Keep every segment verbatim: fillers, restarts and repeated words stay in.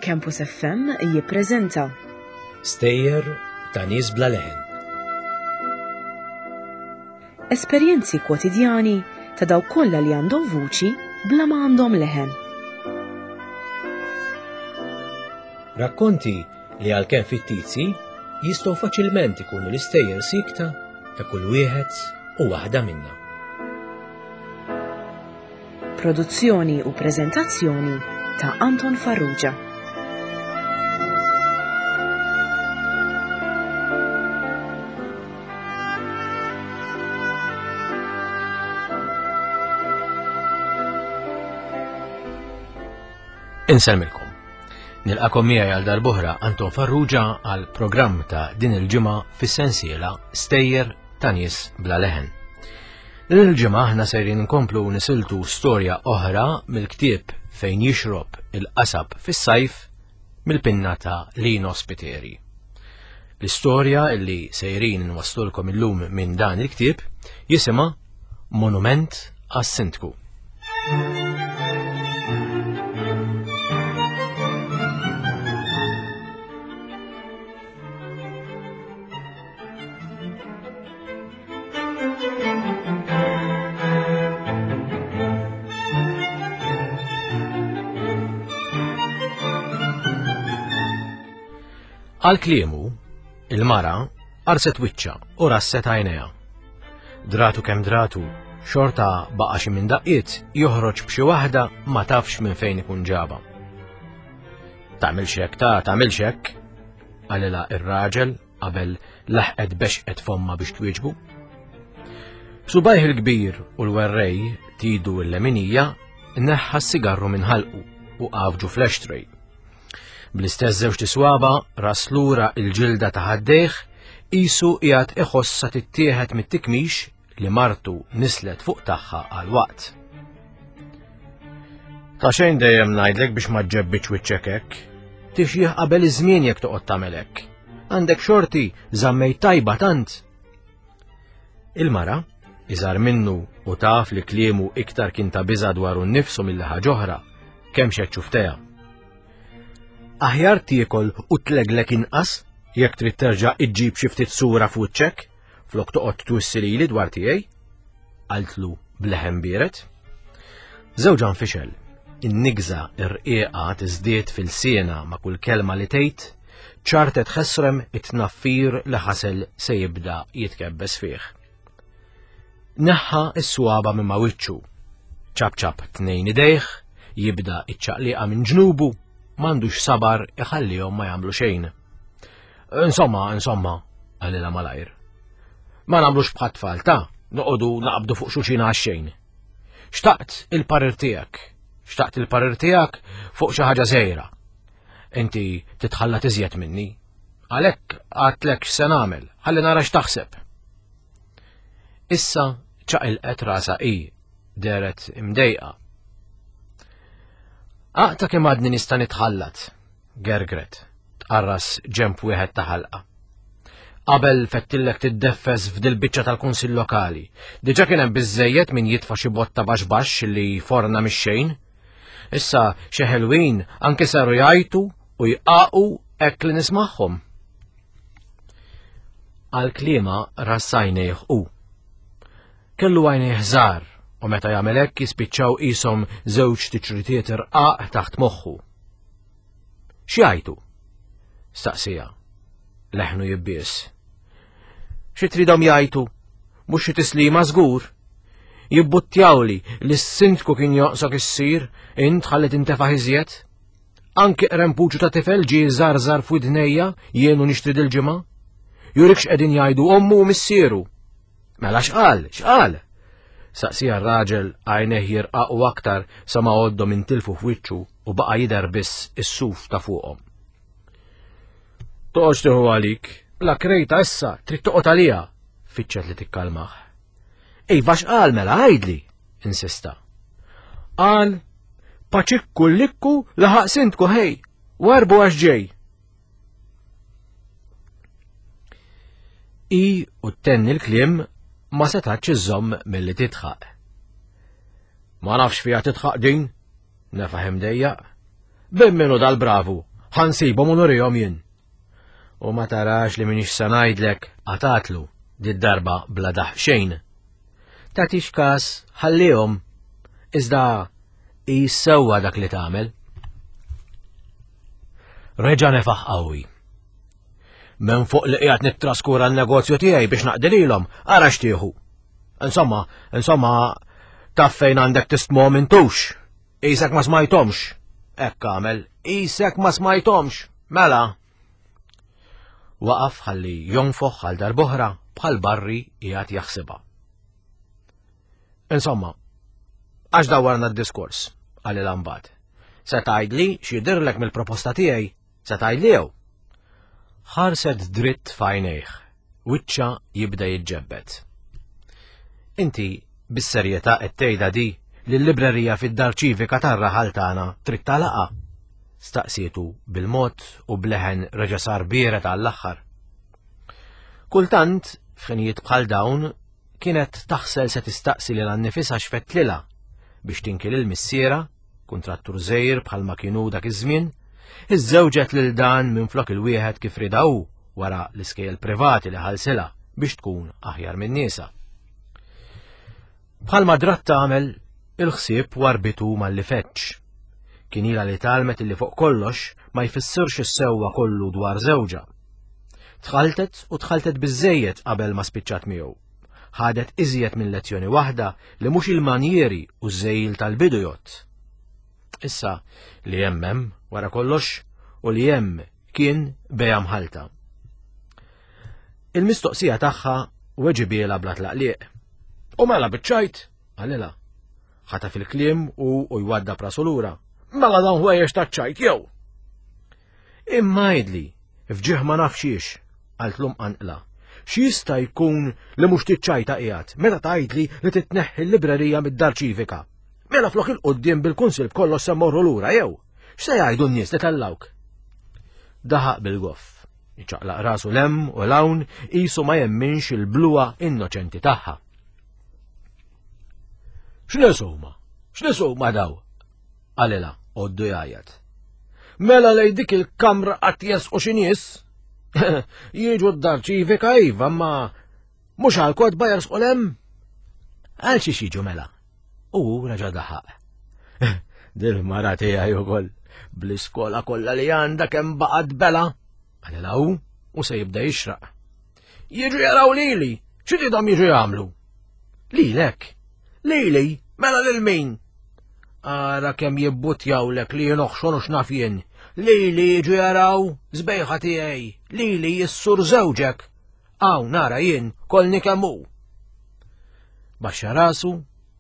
Campus F M jippreżenta Stejjer ta' nies bla leħen. Esperjenzi kwotidjani ta' dawk kollha li għandhom vuċi bla ma għandhom leħen. Rakkonti li għalkemm fittizji jistgħu faċilment ikunu l-istejjer sikta ta' kull wieħed u waħda minna. Produzzjoni u preżentazzjoni ta' Anton Farrugia. Insellmilkom. Nilqakom miegħi għal darb'oħra Anton Farrugia għal programm ta' din il-ġimgħa fis-sensiela Stejjer ta' nies bla leħen. Din il-ġimgħa aħna sejrin nkomplu nisiltu storja oħra mill-ktieb Fejn jixrob il-qasab fis-sajf mill-pinna ta' Lino Spiteri. L-istorja illi sejrin nwaslulkom illum minn dan il-ktieb jisimha Monument għas-Sindku. Għal kliemu, il-mara arset wiċċa u rasset għajnejha. Dratu kemm dratu, xorta baqa' xi minn daqqiet joħroġ b'xi waħda ma tafx minn fejn ikun ġaba. Tagħmilx hekk ta' tagħmilx hekk, qalilha ir-raġel qabel laħqet bexqet fomma biex twieġbu. B'subajh il-kbir u l-werrej tidu l-leminija neħħa s-sigarru minn ħalqu u qafġu fl-ashtray. Bl-istess żewġ tiswaba ras lura il-ġilda ta' ħaddejh qisu qiegħed iħossha tittieħed mit-tikmix li martu nislet fuq tagħha għal waqt. Ta' xejn dejjem ngħidlek biex ma ġġebbitx wiċċek hekk. Tixjih qabel iż-żmien jekk toqgħod tagħmel hekk. Għandek xorti żammejt tajba tant. Il-mara, iżgħar minnu u taf li kliemu iktar kien ta' biża' dwaru nnifsu milli ħaġa oħra, kemm xed xuftejha. Aħjar tiekol u tleglek inqas jekk trid terġa' iġġib xi ftit sura f'wiċċek flok toqgħod twissi lili dwar tiegħi, qaltlu b'leħen biered. Żewġha nfixel, in-nigża rqiqa tiżdied fil-siena ma' kull kelma li tgħid, ċartet ħesrem it-tnaffir li ħasel se jibda jitkebbes fih. Neħħa s-swaba minn ma' wiċċu, ċabċab tnejn idejh, jibda iċ-ċaqliqa minn ġnubu, m'għandux sabar iħallihom ma jagħmlu xejn. Insomma, insomma, qalilha malajr. Ma nagħmlux bħat tfal ta' noqogħdu naqbdu fuq xulxin għax-xejn. Xtaqt il-parir tiegħek, xtaqt il-parir tiegħek fuq xi ħaġa żgħira. Inti titħalla tiżjed minni. Għalhekk għadtlek x'se nagħmel, ħalli nara x'taħseb. Issa ċaqilqet rasha hi, dehret imdejqa. Aqta kemm għadni nista' nitħallat, gergret, tqarras ġemp wieħed ta' ħalqa. Qabel fettillek tiddeffes f'dil biċċa tal-Kunsill Lokali. Diġà kien hemm biżżejjed min jitfa' xi botta baxx baxx li forna mix-xejn. Issa xi ħelwin anke saru jgħajtu u jqaqu hekk li nismagħhom. Għal kliema rassajnejh hu. Kellu għajnejh żgħar u meta jagħmel hekk jispiċċaw qishom żewġ tiċritiet irqaq taħt moħħu. X'jgħidu? Staqsija. Leħnu jibbies. Xi tridhom jgħidu? Mhux xi tislima żgur. Jibbuttjawli li s-sindku kien joqsok issir, int ħalli tintefaħ iżjed. Anki qrempuċu ta' tifel ġie żarżar f'widnejja jien u nixtri dil-ġimgħa. Jurik x'qegħdin jgħidu ommu u missieru. Mela x'qal, x'qal? Saqsija r-raġel għajnejh jirqaqu aktar sa ma għoddhom intilfu f'wiċċu u baqa' jidher biss is-suf ta' fuqhom. Toqgħodx tieħu għalik, la krejta issa trid toqgħod għaliha, fittxet li tikkalmah. Iva x'qal mela għidli, insista. Qal, paċikku l-likku laħaq sindku ħej, warbu għax ġej. I u tenni l-kliem ma setax iżomm milli titħaq. Ma nafx fiha titħaq din, nefaħ imdejjaq. Bim minnu dal-bravu, Ħa nsibhom u nurihom jien. U ma tarax li m'iniex sa ngħidlek, qatatlu, did-darba bla daħq xejn. Tagħtix kas, ħallihom. Iżda qis sewwa dak li tagħmel. Reġa' nefaħ qawwi. Minn fuq li qiegħed nittraskura n-negozju tiegħi biex naqdi lilhom, ara x'tieħu. Insomma, insomma, taf fejn għandek tistmhom intux. Qisek ma smajthomx. Hekk għamel, qisek ma smajthomx. Mela. Waqaf ħalli jonfoħ għal darb'oħra bħal barri qiegħed jaħsibha. Insomma, għax dawwarna d-diskors, qalilha mbagħad. Se tgħidli x'jidhirlek mill-proposta tiegħi, se tgħidli jew? Ħarset dritt f'għajnejh, wiċċha jibda jiġġebbed. Inti bis-serjetà qed tgħidha di li l-librerija fid-dar ċivika tar-raħal tagħna trid tagħlaqha? Staqsietu bil-mod u bleħen reġa' sar biered għall-aħħar. Kultant, f'ħinijiet bħal dawn, kienet taħsel se tistaqsi lilha nnifisha x'fettlilha biex tinki lil missiera, kuntrattur żgħir bħalma kienu dak iż-żmien, iżżewġet lil dan minflok il-wieħed kif rieda hu wara l-iskejjel privati li ħalsilha biex tkun aħjar minn niesha. Bħalma drat tagħmel, il-ħsieb warbitu malli feġġ. Kien ilha li tgħallmet illi fuq kollox ma jfissirx is-sewwa kollu dwar żewġha. Tħaltet u tħaltet biżżejjed qabel ma spiċċat miegħu. Ħadet iżjed minn lezzjoni waħda li mhux il-manjieri u ż-żejl tal-bidu jgħodd. Issa li hemm hemm wara kollox u li hemm kien bejgħa mħallta. Il-mistoqsija tagħha weġibielha bla tlaqliq. U mela biċ-ċajt, qalilha. Ħataf il-kliem u u jwadda prasu lura. Mela dawn ħwejjeġ taċ-ċajt jew. Imma għidli, fġieħ ma nafxiex, qaltlu mqanqla. X'jista' jkun li mhux tiċċajta qiegħed meta tgħidli li titneħħi l-librerija mid-dar ċivika? Mela flok il-quddiem bil-kunsil b'kollox se mmorru lura jew? X'se jgħidu n-nies li tellawk? Daħaq bil-goff, iċaqlaq rasu 'l hemm u 'l hawn qisu ma jemminx il-bluha innoċenti tagħha. X'nies huma? X'nies huma daw? Qalilha għoddu jgħajjat. Mela lej dik il-kamra qatt jesqu xi nies? Jiġu d-dar ċivika iva, ma mhux għal kotba jersqu 'l hemm? Għal xiex jiġu mela? U reġa' daħaq. Dil-mara tiegħi ukoll bl-iskola kollha li għandha kemm baqgħet bela. Qalilha hu u se jibda jixraq. Jiġu jaraw lili, xi tridhom jiġu jagħmlu? Lilek? Lili, mela lil min? Ara kemm jibbutjawlek li jinoħxon u x'naf jien. Lili jiġu jaraw, żbejħa tiegħi, lili jissur żewġek. Hawn nara jien kolni kemm hu. Baxxa rasu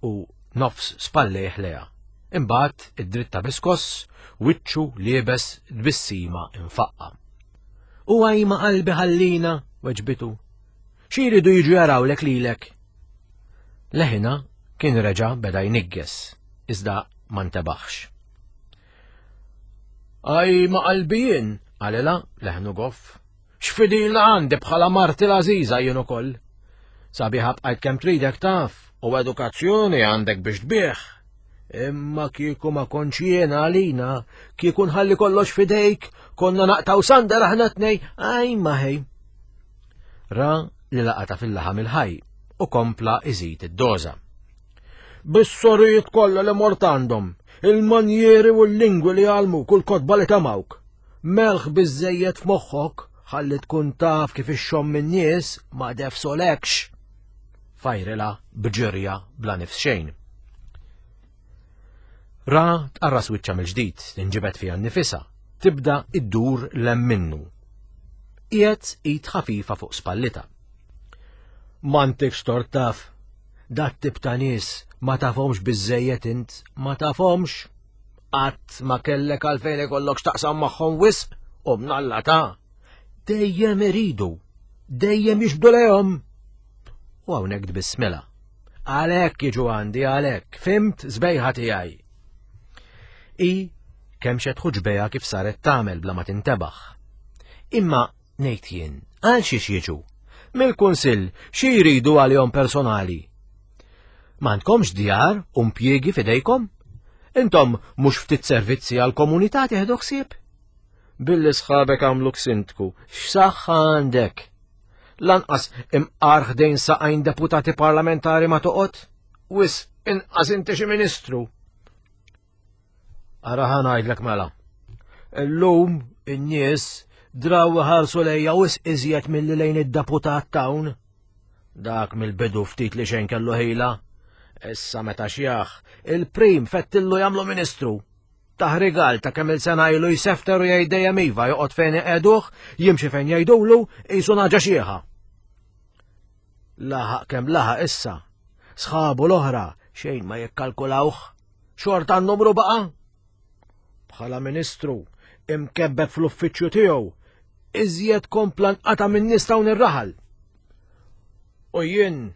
u nofs spallejh leha. Imbagħad id-dritta biskoss, wiċċu liebes tbissima infaqqa. U għajma qalbi ħallina, weġbitu. Xi jridu jiġu jarawlek lilek? Leħina kien reġa' beda jnigges, iżda ma ntebaħx. Għajma qalbi jien, qalilha leħnu goff. X'fidila għandi bħala marti l-għażiża jien ukoll. Sabiħa bqajt kemm tridek taf, u edukazzjoni għandek biex tbigħ. Imma kieku ma kontx jiena għalina, kieku nħalli kollox fidejk, konna naqtaw sandar aħna tnej, għajma ħej. Ra li laqata fil-laħam il-ħaj u kompla iżid id-doża. Bis-sorijiet kollha li mort għandhom, il-manjieri u l-lingwi li għallmuk u l-kotba li tamawk. Melħ biżżejjed f'moħħok ħalli tkun taf kif ixxomm min-nies ma defsolekx. Fajrila b'ġirja bla nifs xejn. Ra tqarras wiċċha mill-ġdid, tinġibed fiha nnifisha, tibda iddur 'l hemm minnu. Qiegħed id ħafifa fuq spallita. M'għandekx tort taf, dat tip ta' nies ma tafhomx biżżejjed int, ma tafhomx. Qatt ma kellek għalfejn ikollok x'taqsam magħhom wisq u mnalla ta' dejjem iridu, dejjem jixbdu lejhom. U hawnhekk tbissmilha. Għalhekk jiġu għandi, għalhekk, fimt żbejħa tiegħi. I kemm xed ħuġbejha kif saret tagħmel bla ma tintebaħ. Imma ngħid jien, għal xiex jiġu? Mill-kunsill xi jridu għalihom personali? M'għandkomx djar u impjiegi f'idejkom? Intom mhux ftit servizzi għall-komunità tieħdu ħsieb? Billi sħabek għamluk sindku, x'saħħa għandek? Lanqas imqar ħdejn saqajn deputati parlamentari ma toqgħod? Wisq inqas inti xi ministru. Ara ħa ngħidlek mela. Illum in-nies draw iħarsu lejja wisq iżjed milli lejn id-deputat t'hawn. Dak mill-bidu ftit li xejn kellu ħila. Issa meta xjaħ, il-prim fettillu jagħmlu ministru. Tah rigal ta' kemm il-sena ilu jsefter u jgħid dejjem iva, joqgħod fejn iqegħduh, jimxi fejn jgħidulu, qisu nagħġa xieħa. Laħaq kemm laħaq issa. Sħabu l-oħra xejn ma jikkalkulawh. Xorta n-numru baqa'. Bħala ministru, imkebbeb fl-uffiċċju tiegħu, iżjed kompla nqata' minn nies t'hawn ir-raħal. U jien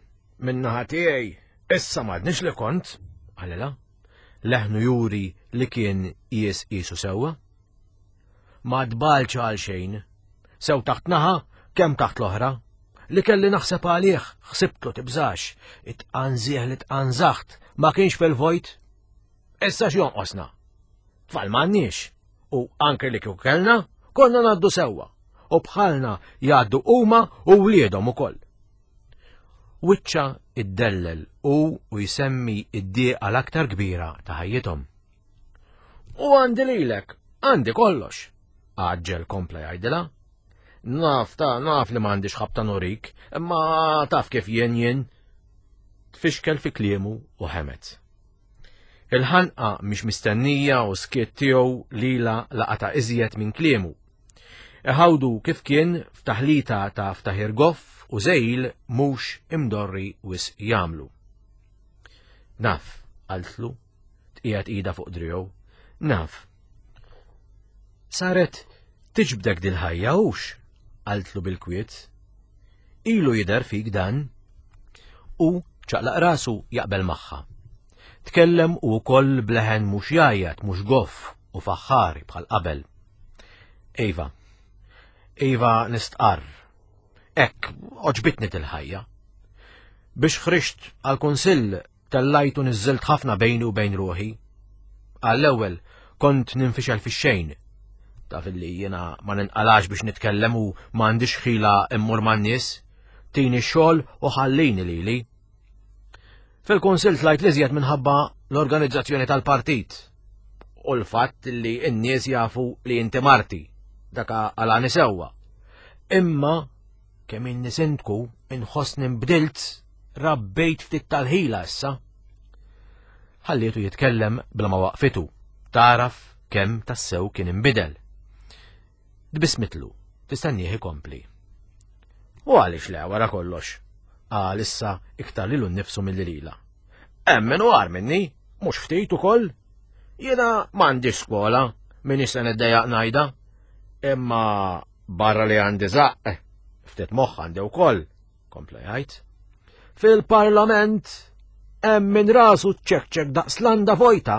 min-naħa tiegħi issa m'għadniex li kont, qalilha, leħnu juri li kien qies qisu sewwa. Ma tbalx għal xejn, sew taħt naħa kemm taħt l-oħra. Li kelli naħseb għalih, ħsibtlu tibżax, it-tqanżih li tqanżaħt ma kienx fil-vojt. Issa x'jonqosna? Tfal m'għandniex, u anke li kieku kellna, konna ngħaddu sewwa, u bħalna jgħaddu huma u wliedhom ukoll. Wiċċa iddellel u u jsemmi id-dieqa l-aktar kbira ta' ħajjithom. U għandi lilek, għandi kollox, għaġġel kompla jgħidilha. Naf ta' naf li m'għandix ħabta nurik, imma taf kif jien jien. Tfixkel fi kliemu u ħemet. Il-ħanqa mhix mistennija u skiet tiegħu lila laqata iżjed minn kliemu. Iħawdu kif kien f'taħlita ta' ftaħir goff u żejl mhux imdorri wisq jagħmlu. Naf, qaltlu, tqiegħed ida fuq driegħu, naf. Saret tiġbdek dil-ħajja hux, qaltlu bil-kwiet. Ilu jidher fik dan. U ċaqlaq rasu jaqbel magħha. Tkellem u wkoll bleħen mhux jgħajjat, mhux goff u faħħari bħal qabel. Iva, Iva nistqarr. Hekk, oġbitni til-ħajja. Biex ħriġt għal-kunsill tellajt u niżżilt ħafna bejni u bejn ruħi. Għall-ewwel kont ninfixel fix-xejn. Taf illi jiena ma ninqalax biex nitkellem u m'għandix ħila immur man-nies. Tini x-xogħol u ħallini lili. Fil-kunsill tlajt l-iżjed minħabba l-organizzazzjoni tal-partit u l-fatt li n-nies jafu li inti marti, daka għalani sewwa. Imma kemm inni sindku inħossni nbdilt, rabbejt ftit tal-ħila issa. Ħallietu jitkellem bla ma waqfitu, taraf kemm tassew kien inbidel. Tbissmitlu, tistennieh ikompli. U għaliex le wara kollox? Qal issa iktar lilu nnifsu milli lila. Hemm min hu agħar minni, mhux ftit ukoll. Jiena m'għandix skola, minix se niddejjaq ngħidha. Imma barra li għandi żaqq, ftit moħħ għandi wkoll, kompla jgħid. Fil-parlament hemm min rasu ċekċek daqs landa vojta.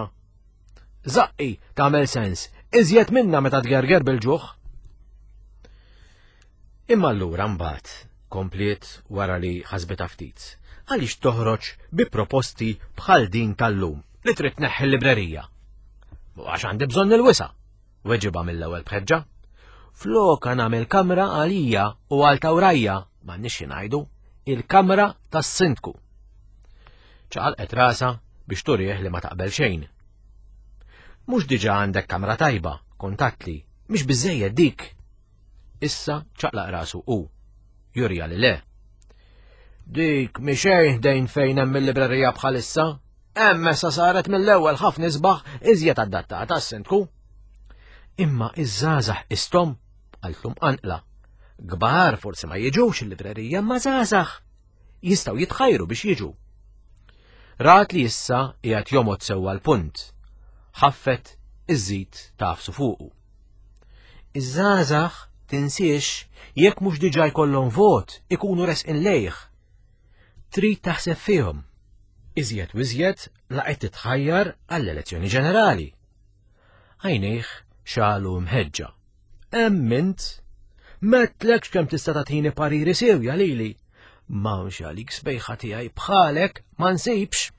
Żaqqi tagħmel sens, iżjed minna meta tgerger bil-ġuħ. Imma allura mbagħad kompliet wara li ħasbitha ftit, għaliex toħroġ bi proposti bħal din tal-lum li trid tneħħi l-librerija. Għax għandi bżonn il-wisa, weġibha mill-ewwel bħeġġa. Floka nagħmel kamra għalija u għal tawrajja, m'għandniex xi ngħidu, il-kamra tas-sindku. Ċaqalqet rasa biex turih li ma taqbel xejn. Mhux diġà għandek kamra tajba, kontattli, mhix biżejjed dik. Issa ċaqlaq rasu u jurja li le. Dik mhi xejn ħdejn fejn hemm il-librerija bħalissa, hemm issa saret mill-ewwel ħafna isbaħ iżjed adattata għas-sindku. Imma iż-żgħażagħ istom, qaltlu mqanqla. Kbar forsi ma jiġux il-librerija, ma żgħażagħ jistgħu jitħajru biex jiġu. Rat li issa qiegħed jomgħod sewwa l-punt. Ħaffet iż-żid tafsu fuqu. Iż-żgħażagħ tinsiex jekk mhux diġà jkollhom vot ikunu resqin lejh. Trid taħseb fihom. Iżjed u iżjed la qed titħajjar għall-elezzjoni ġenerali. Għajnejh xalu mħeġġa. Hemm int, m'għedtlekx kemm tista' tagħtini pariri sewja lili. M'hawnx għalik sbejħa tiegħi bħalek ma nsibx.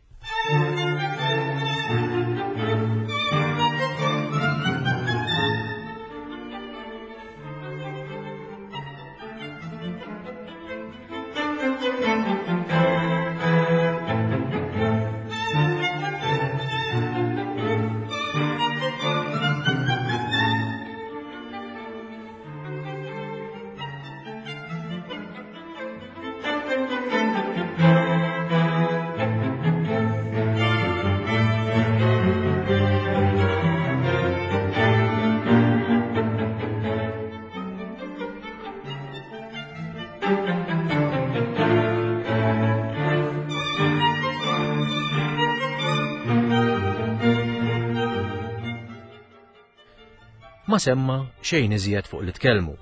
Ma semma xejn iżjed fuq li tkellmu,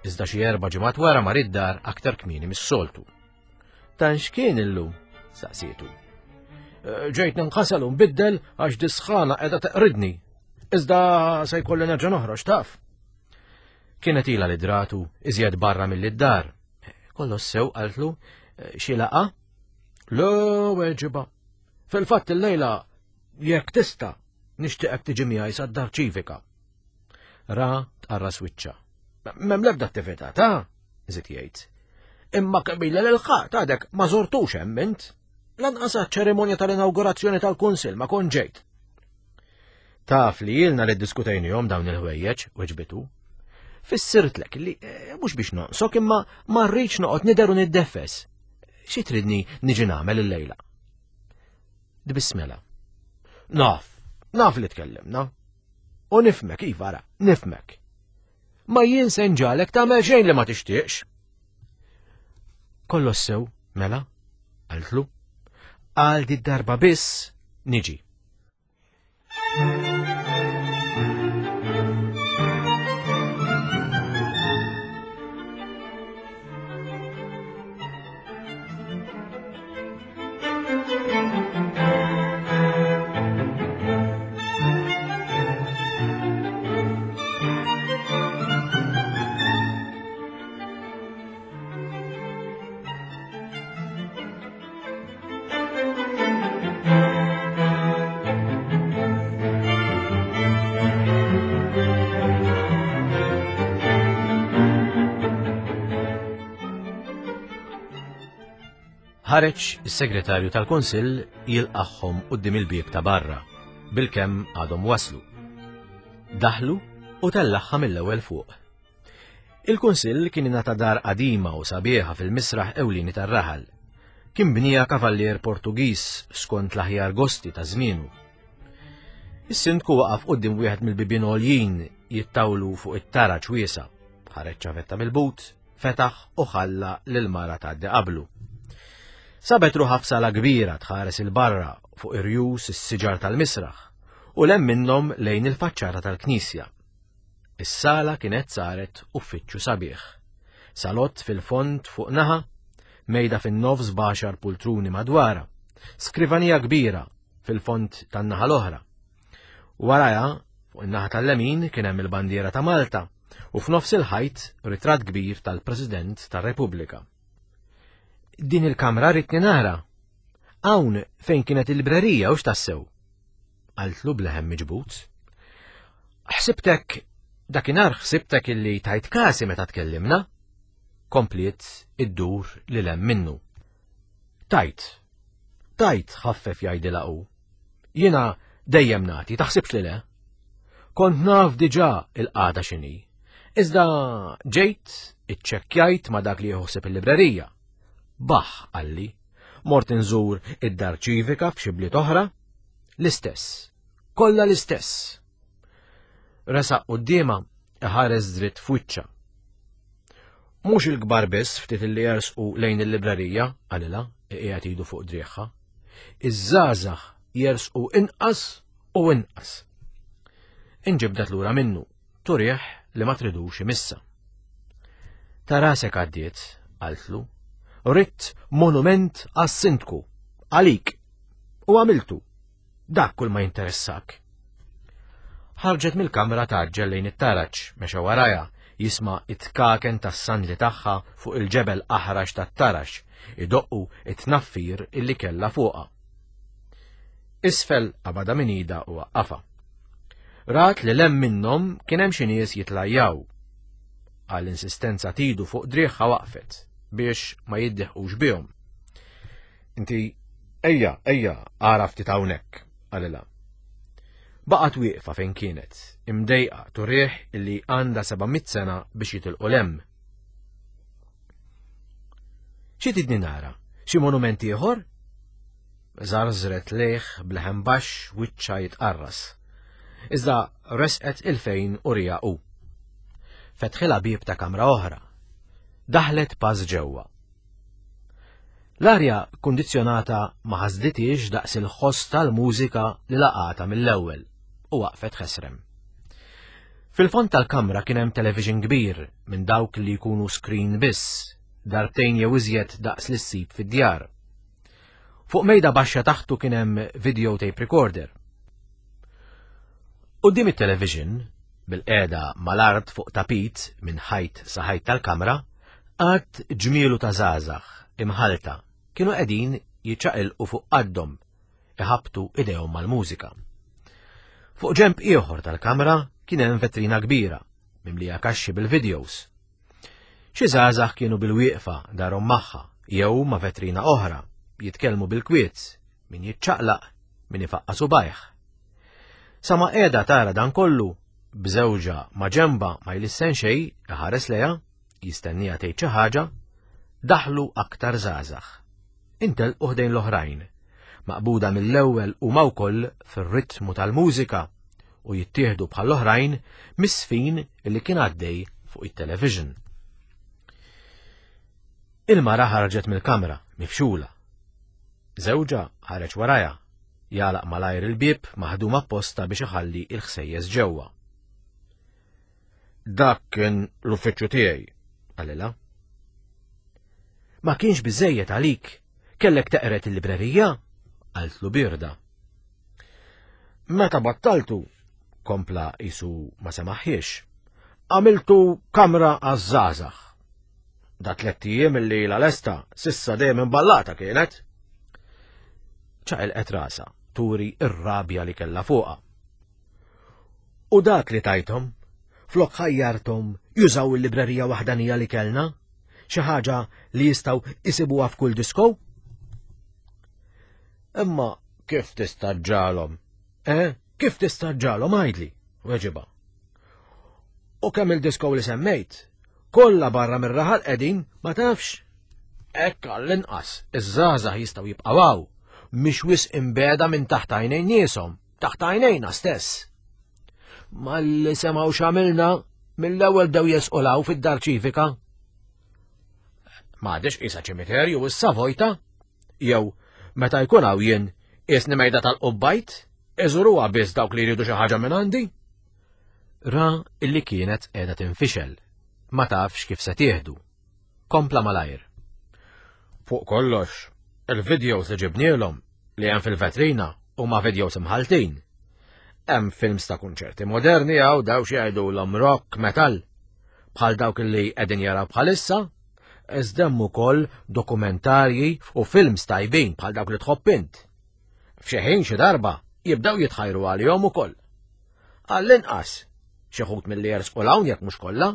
iżda xi erba' ġimgħat wara mar id-dar aktar kmieni mis-soltu. "Dan x'kien illum?" saqsietu. "Ġejt ninħasel u nbiddel għax disħana qiegħda teqridni. Iżda se jkolli nerġa' noħroġ taf." Kienet ilha li dratu iżjed barra milli d-dar. Kollox sew qaltlu, "Xi laqgħa?" "Le, weġiba. Fil-fatt illejla jekk tista' nixtieqek tiġi miegħi sad-dar ċivika." Ra tqarras wiċċha. "M'hemm l-ebda attività ta'," żied jgħid. "Imma kemm ilha lil ħadd għadek ma żortux hemm int. Lanqas għaċ-ċerimonja tal-inawgurazzjoni tal-Kunsill ma kont ġejt." "Taf li ilna li ddiskutejnihom dawn il-ħwejjeġ," weġbitu. "Fissirtlek li mhux biex nonqsok imma ma rridx noqgħod nidher u niddeffes. Xi tridni niġi nagħmel illejla?" Tbissmela. "Naf, naf li tkellimna. U nifhmek, iva ara, nifhmek. Ma jien se nġagħlek tagħmel xejn li ma tixtieqx." "Kollox sew, mela," qaltlu. "Għal di darba biss niġi." Ħareġ is-segretarju tal-Kunsill jilqagħhom quddiem il-bieb ta' barra, bilkemm għadhom waslu. Daħlu u tellagħha mill-ewwel fuq. Il-Kunsill kien ingħata dar qadima u sabiħa fil-misraħ ewlieni tar-raħal. Kien bnija kavallier Portugiż skont l-aħjar gosti ta' żmienu. Is-sindku waqaf quddiem wieħed mill-bibien għoljin jittawlu fuq it-taraġ wiesa'. Ħareġ ċavetta mill-but, fetaħ u ħalla lil mara tgħaddi qablu. Sabet ruħha f'sala kbira tħares il-barra fuq irjus is-siġar tal-misraħ u lem minnhom lejn il-faċċata tal-knisja. Is-sala kienet saret uffiċċju sabiħ. Salott fil-fond fuq naħa, mejda fin-nofs b'għaxar pultruni madwarha, skrivanija kbira fil-fond tan-naħa l-oħra. Warajha, fuq in-naħa tal-lemin kien hemm il-bandiera ta' Malta u f'nofs il-ħajt ritratt kbir tal-President tar-Repubblika. "Din il-kamra ridni nara. Hawn fejn kienet il-librerija u x'tassew?" qaltlu bleħem miġbut. "Ħsibtek, dakinhar ħsibtek illi tajt kasi meta tkellimna." Kompliet iddur lil hemm minnu. "Tajt, tajt," ħaffef jgħidilha hu. "Jiena dejjem nagħti, taħsibx li le. Kont naf diġà il-qagħda x'inhi. Iżda ġejt, iċċekkjajt ma' dak li jħossib il-librerija. Baħ, qalli, mort inżur id-dar ċivika f'xi bliet oħra, l-istess, kollha l-istess." Resaq quddiemha iħares dritt f'wiċċha. "Mhux il-kbar biss ftit illi jersqu lejn il-librerija," qalilha, qiegħed idu fuq driegħha. "Iż-żgħażagħ jersqu inqas u inqas." Inġibdet lura minnu, turih li ma tridux imissa. "Ta' rasek għaddiet," qaltlu. "Ridt monument għas-sindku, għalik, u għamiltu. Dak kull ma jinteressak." Ħarġet mill-kamra taġġel lejn it-taraġ, mexa warajha, jisma' it-tkaken tas-sandli tagħha fuq il-ġebel aħrax tat-taraġ, idoqqu it-tnaffir illi kellha fuqha. Isfel qabadha minn idha u waqqafha. Rat li lem minnhom kien hemm xi nies jitlajjaw. Għall-insistenza tidu fuq driegħha waqfet biex ma jiddeħqux bihom. "Inti, ejja, ejja, ara ftit hawnhekk," qalilha. Baqgħet wieqfa fejn kienet, imdejqa turih illi għandha seba' mitt sena biex jitilqu lem. "Xi tidni nara? Xi monument ieħor?" Żarżret lejh bleħen baxx wiċċha jitqarras. Iżda resqet il-fejn u rija hu. Fetħilha bieb ta' kamra oħra. Daħlet pass ġewwa. L-arja kundizzjonata ma ħasditix daqs il-ħoss tal-mużika li laqata mill-ewwel u waqfet ħesrem. Fil-fond tal-kamra kien hemm television kbir minn dawk li jkunu screen biss, darbtejn jew iżjed daqs li ssib fid-djar. Fuq mejda baxxa taħtu kien hemm video tape recorder. Quddiem it-television, bil-qiegħda mal-art fuq tapit minn ħajt sa ħajt tal-kamra, għadd ġmielu ta' żgħażagħ imħalta kienu qegħdin jiċċaqilqu fuq qaddhom, iħabtu idejhom mal-mużika. Fuq ġenb ieħor tal-kamra kien hemm vetrina kbira, mimlija kaxxi bil-videos. Xi żgħażagħ kienu bil-wieqfa darhom magħha jew ma' vetrina oħra, jitkellmu bil-kwiet, min jiċċaqlaq, min ifaqqa' subajh. Sa ma qiegħda tara dan kollu, b'żewġha ma' ġenba ma jlissen xejn, iħares lejha, jistennija tgħid xi ħaġa, daħlu aktar żgħażagħ. Intelqu ħdejn l-oħrajn, maqbuda mill-ewwel huma wkoll fir-ritmu tal-mużika u jittieħdu bħall-oħrajn mis-sfin li kien għaddej fuq it-television. Il-mara ħarġet mill-kamra, mifxula. Żewġha ħareġ warajha, jagħlaq malajr il-bieb maħdum apposta biex iħalli il-ħsejjes ġewwa. Dak kien l-uffiċċju tiegħi, qalilha. Ma kienx biżejjed għalik, kellek teqret il-librerija, qaltlu birda. Meta battaltu, kompla isu ma semaħħiex, għamiltu kamra għaż-żgħażagħ. Da tlett ijiem illi la lesta sissa dejjem imballata kienet. Ċaqilqet rasha, turi ir-rabja li kellha fuqha. U dak li tajthom, flok ħajjarthom jużaw il-librerija waħdanija li kellna, xi ħaġa li jistgħu isibuha f'kull disko? Imma kif tista' ġġagħalhom? Eh, kif tista' ġġagħalhom għidli? Weġibha. U kemm il-disko li semmejt, kollha barra mir-raħal qegħdin ma tafx. Hekk għall-inqas, iż-żgħażagħ jistgħu jibqgħu hawn, mhix wisq imbeda minn taħt għajnejn nieshom, taħt għajnejna stess. Malli semgħu x'għamilna, mill-ewwel bdew jesqulaw fid-dar ċivika. M'għadix qisha ċimiterju issa vojta, jew meta jkun hawn jien qisni mejda tal-qubbajt, iżuruha biss dawk li jridu xi ħaġa minn għandi. Ra illi kienet qiegħda tinfixel, ma tafx kif se tieħdu. Kompla malajr. Fuq kollox, il-videos li ġibnielhom li hemm fil-vetrina huma videos imħaltin. Hemm films ta' kunċerti moderni hawn daw xi jgħidulhom rock, metal, bħal dawk li qegħdin jaraw bħalissa, iżda hemm ukoll dokumentarji u films tajbin bħal dawk li tħobb int. F'xi ħin xi darba jibdew jitħajru għalihom ukoll. Għall-inqas, xi ħut milli jersqu 'l hawn jekk mhux kollha,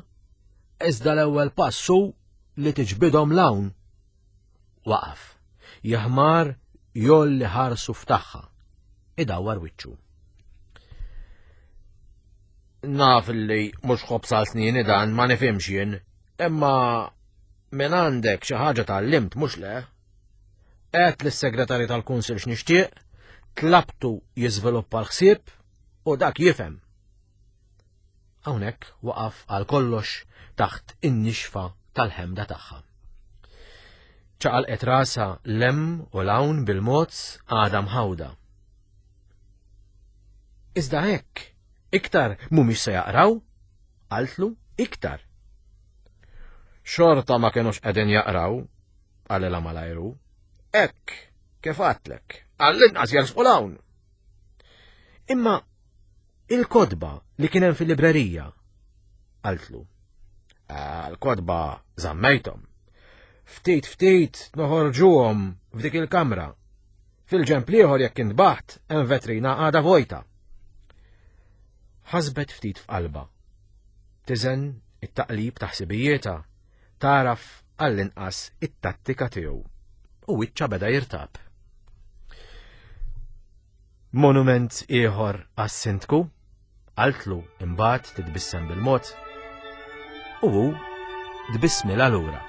iżda l-ewwel pass hu li tiġbidhom 'l hawn. Waqaf, jaħmar jolli ħarsu ftaħħa, idawwar wiċċu. Naf li mhux ħobż għal snin dan ma nifhimx jien, imma minn għandek xi ħaġa tgħallimt mhux le. Għedt lis-segretarju tal-Kunsill x'nixtieq, tlabtu jiżviluppa l-ħsieb u dak jifhem. Hawnhekk waqaf għal kollox taħt in-nixfa tal-ħemda tagħha. Ċaqalqet rasha lem u lawn bil-mod għadha mħawda. Iżda hekk, iktar mhumiex se jaqraw, qaltlu iktar. Xorta ma kienux qegħdin jaqraw, qalilha malajru. Hekk, kif għedtlek, għall-inqas jersqu 'l hawn. Imma il-kotba li kien hemm fil-librerija, qaltlu. L-kotba żammejthom. Ftit ftit noħorġuhom f'dik il-kamra. Fil-ġenb l-ieħor jekk intbaħt hemm vetrina għadha vojta. Ħasbet ftit f'qalba. Tiżen it-taqlib ta' ħsibijietha, taraf għall-inqas it-tattika tiegħu. U wiċċha beda jirtab. Monument ieħor għas-sindku, qaltlu imbagħad titbissem bil-mod. U hu tbissmilha lura.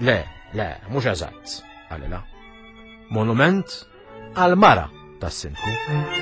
Le, le, mhux eżatt, qalilha. Monument għal-mara tas-sindku.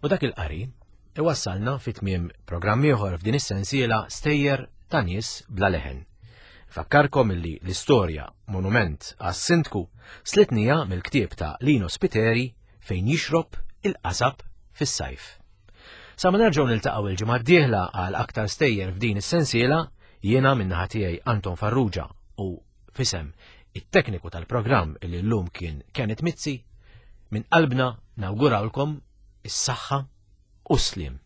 U dak il-qari iwassalna fi tmiem programm ieħor f'din is-sensiela Stejjer ta' nies bla leħen. Fakkarkom illi l-istorja Monument għas-Sindku slitnija mill-ktieb ta' Lino Spiteri fejn jixrob il-qasab fis-sajf. Sa ma nerġgħu niltaqgħu il-ġimgħa d-dieħla għal aktar stejjer f'din is-sensiela, jiena min-naħa tiegħi Anton Farrugia u f'isem it-tekniku tal-programm illi llum kien Kenneth Mizzi, minn qalbna nawgurawlkom is-saħħa u s-sliem.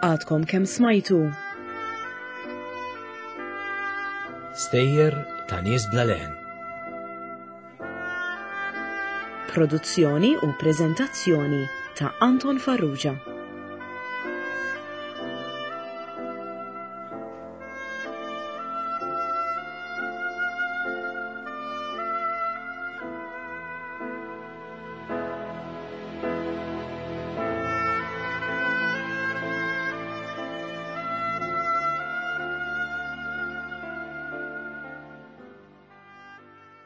Għadkom kemm smajtu Stejjer ta' nies bla leħen. Produzzjoni u preżentazzjoni ta' Anton Farrugia.